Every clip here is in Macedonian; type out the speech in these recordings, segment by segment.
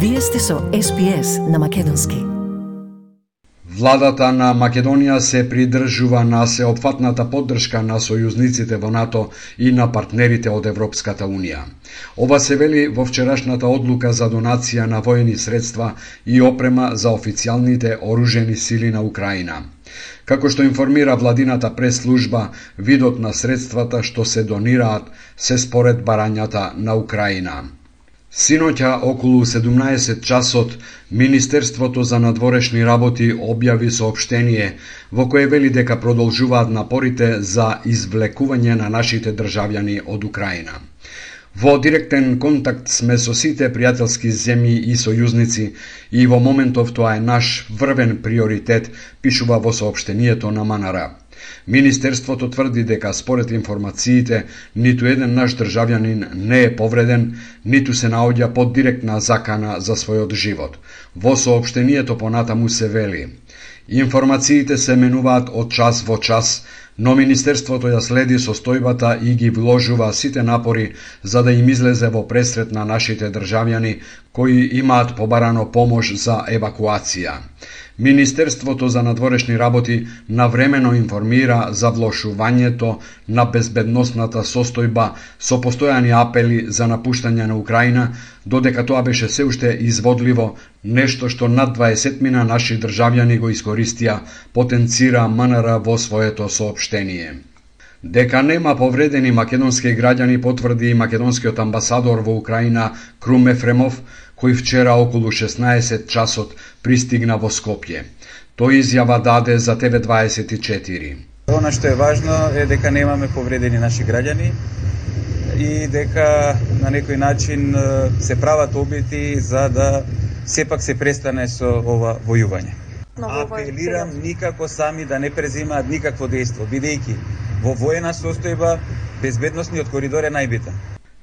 Вие сте со SPS на македонски. Владата на Македонија се придржува на сеопфатната поддршка на сојузниците во НАТО и на партнерите од Европската Унија. Ова се вели во вчерашната одлука за донација на воени средства и опрема за официјалните оружени сили на Украина. Како што информира владината прес-служба, видот на средствата што се донираат се според барањата на Украина. Синоќа околу 17 часот Министерството за надворешни работи објави соопштение во кое вели дека продолжуваат напорите за извлекување на нашите државјани од Украина. Во директен контакт сме со сите пријателски земји и сојузници и во моментов тоа е наш врвен приоритет, пишува во соопштението на МНР. Министерството тврди дека според информациите ниту еден наш државјанин не е повреден, ниту се наоѓа под директна закана за својот живот. Во соопштението понатаму се вели: информациите се менуваат од час во час, но Министерството ја следи состојбата и ги вложува сите напори за да им излезе во пресрет на нашите државјани кои имаат побарано помош за евакуација. Министерството за надворешни работи навремено информира за влошувањето на безбедносната состојба со постојани апели за напуштање на Украина, додека тоа беше се уште изводливо, нешто што над 20 наши државјани го искористија, потенцира МНР во своето соопштение. Дека нема повредени македонски граѓани потврди и македонскиот амбасадор во Украина Крум Ефремов, кој вчера околу 16 часот пристигна во Скопје. Тој изјава даде за TV24. Она што е важно е дека немаме повредени наши граѓани и дека на некој начин се прават обети за да сепак се престане со ова војување. Апелирам никако сами да не презимаат никакво дејство, бидејќи во воена состојба безбедносниот коридор е најбитен.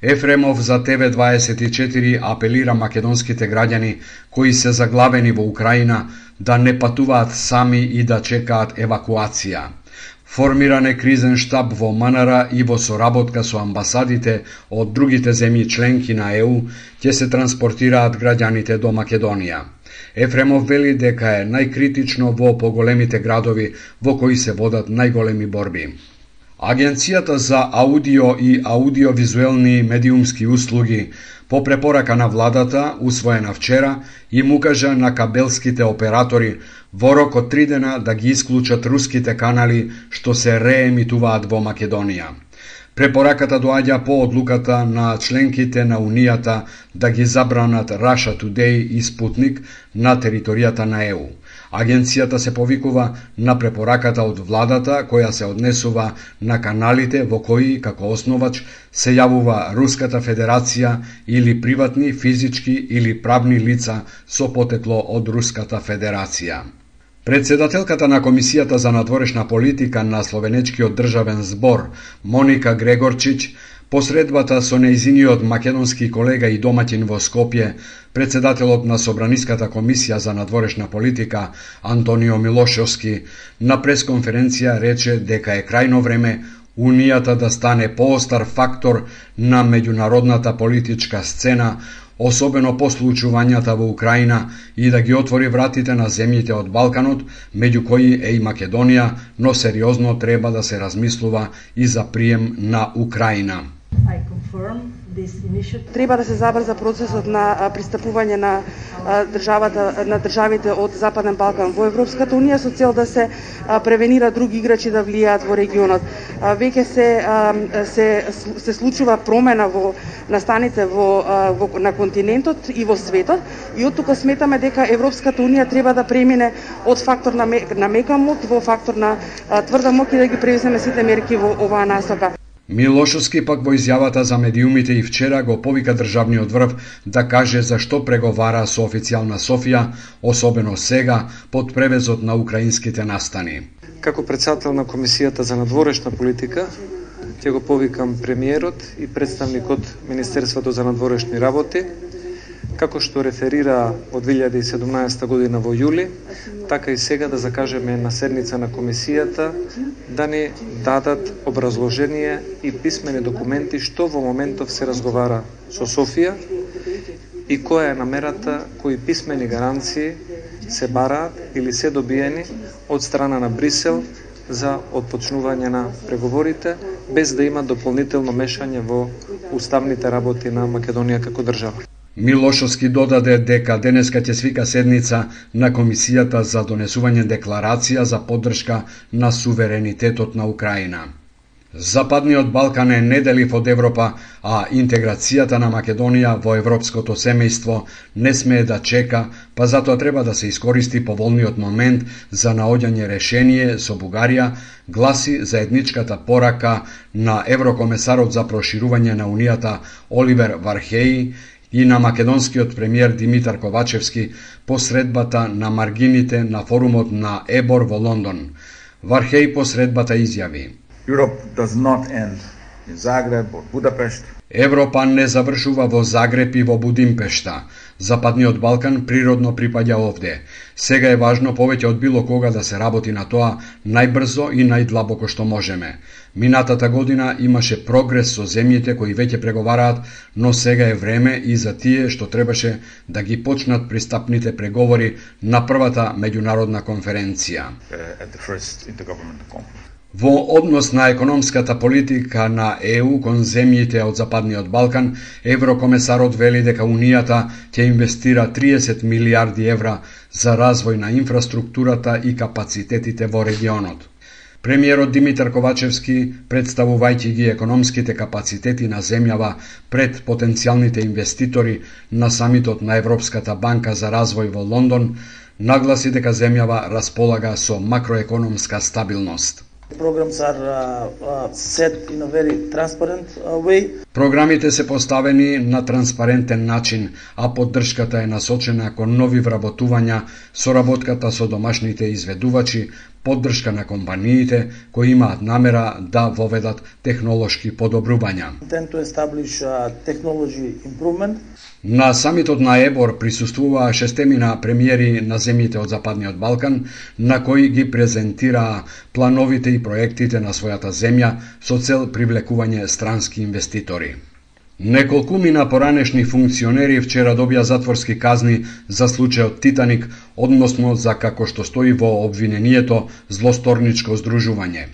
Ефремов за TV24 апелира македонските граѓани кои се заглавени во Украина да не патуваат сами и да чекаат евакуација. Формиран е кризен штаб во МНР и во соработка со амбасадите од другите земји членки на ЕУ ќе се транспортираат граѓаните до Македонија. Ефремов вели дека е најкритично во поголемите градови во кои се водат најголеми борби. Агенцијата за аудио и аудиовизуелни медиумски услуги по препорака на владата, усвоена вчера, им укажа на кабелските оператори во рок од 3 дена да ги исклучат руските канали што се реемитуваат во Македонија. Препораката доаѓа по одлуката на членките на Унијата да ги забранат Russia Today и Sputnik на територијата на ЕУ. Агенцијата се повикува на препораката од владата која се однесува на каналите во кои, како основач, се јавува Руската Федерација или приватни, физички или правни лица со потекло од Руската Федерација. Председателката на Комисијата за надворешна политика на Словенечкиот државен збор, Моника Грегорчиќ, посредбата со нејзиниот македонски колега и домаќин во Скопје, председателот на Собраниската комисија за надворешна политика, Антонио Милошевски, на пресконференција рече дека е крајно време Унијата да стане поостар фактор на меѓународната политичка сцена, особено по случувањата во Украина, и да ги отвори вратите на земјите од Балканот, меѓу кои е и Македонија, но сериозно треба да се размислува и за прием на Украина. Треба да се забрза процесот на пристапување на државите од Западен Балкан во Европската Унија со цел да се превенира други играчи да влијаат во регионот. Веќе се случува промена во настаните на континентот и во светот и од тука сметаме дека Европската Унија треба да премине од фактор на мека моќ во фактор на тврда моќ и да ги превземе сите мерки во оваа насока. Милошевски пак во изјавата за медиумите и вчера го повика државниот врв да каже зашто преговара со официјална Софија, особено сега, под превезот на украинските настани. Како председател на Комисијата за надворешна политика, ќе го повикам премиерот и представникот Министерството за надворешни работи, како што реферира од 2017 година во јули, така и сега да закажеме на седница на комисијата да ни дадат образложение и писмени документи што во моментов се разговара со Софија и која е намерата, кои писмени гаранции се бараат или се добиени од страна на Брисел за отпочнување на преговорите, без да има дополнително мешање во уставните работи на Македонија како држава. Милошовски додаде дека денеска ќе свика седница на Комисијата за донесување декларација за поддршка на суверенитетот на Украина. Западниот Балкан е неделив од Европа, а интеграцијата на Македонија во европското семејство не смее да чека, па затоа треба да се искористи поволниот момент за наоѓање решение со Бугарија, гласи заедничката порака на еврокомесарот за проширување на Унијата Оливер Вархеи и на македонскиот премиер Димитар Ковачевски посредбата на маргините на форумот на ЕБОР во Лондон. Вархеи посредбата изјави: Europe does not end in Zagreb or Budapest. Европа не завршува во Загреб и во Будимпешта. Западниот Балкан природно припаѓа овде. Сега е важно повеќе од било кога да се работи на тоа најбрзо и најдлабоко што можеме. Минатата година имаше прогрес со земјите кои веќе преговараат, но сега е време и за тие што требаше да ги почнат пристапните преговори на првата меѓународна конференција. At the first intergovernmental conference. Во однос на економската политика на ЕУ кон земјите од Западниот Балкан, еврокомесарот вели дека Унијата ќе инвестира 30 милиарди евра за развој на инфраструктурата и капацитетите во регионот. Премиерот Димитар Ковачевски, представувајќи ги економските капацитети на земјава пред потенцијалните инвеститори на самитот на Европската банка за развој во Лондон, нагласи дека земјава располага со макроекономска стабилност. Programs are set in a very transparent way. Програмите се поставени на транспарентен начин, а поддршката е насочена кон нови вработувања, соработката со домашните изведувачи, поддршка на компаниите кои имаат намера да воведат технолошки подобрувања. Intend to establish technology improvement. На самитот на ЕБОР присуствуваа шестемина премиери на земјите од Западниот Балкан, на кои ги презентираа плановите и проектите на својата земја со цел привлекување странски инвеститори. Неколкумина поранешни функционери вчера добија затворски казни за случајот Титаник, односно за како што стои во обвинението злосторничко здружување.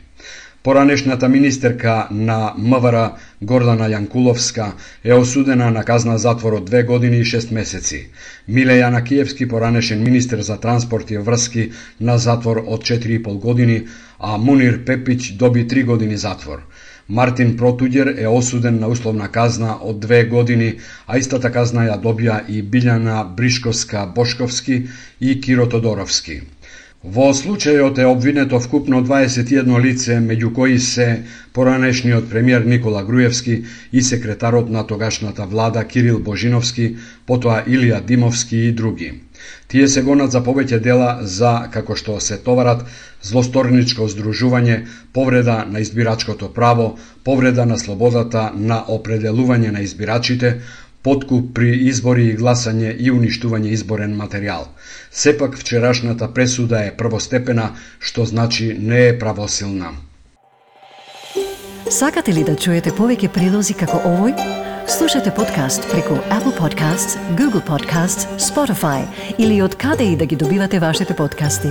Поранешната министерка на МВР Гордана Јанкуловска е осудена на казна затвор од 2 години и 6 месеци. Миле Јанакиевски, поранешен министер за транспорт и врски, на затвор од 4,5 години, а Мунир Пепиќ доби 3 години затвор. Мартин Протуѓер е осуден на условна казна од 2 години, а истата казна ја добија и Билјана Бришковска-Бошковски и Киро Тодоровски. Во случајот е обвинето вкупно 21 лице, меѓу кои се поранешниот премиер Никола Груевски и секретарот на тогашната влада Кирил Божиновски, потоа Илија Димовски и други. Тие се гонат за повеќе дела за, како што се товарат, злосторничко здружување, повреда на избирачкото право, повреда на слободата на определување на избирачите, подкуп при избори и гласање и уништување изборен материјал. Сепак вчерашната пресуда е првостепена, што значи не е правосилна. Сакате ли да чуете повеќе прилози како овој? Слушате подкаст преку Apple Podcasts, Google Podcasts, Spotify или од каде и да ги добивате вашите подкасти.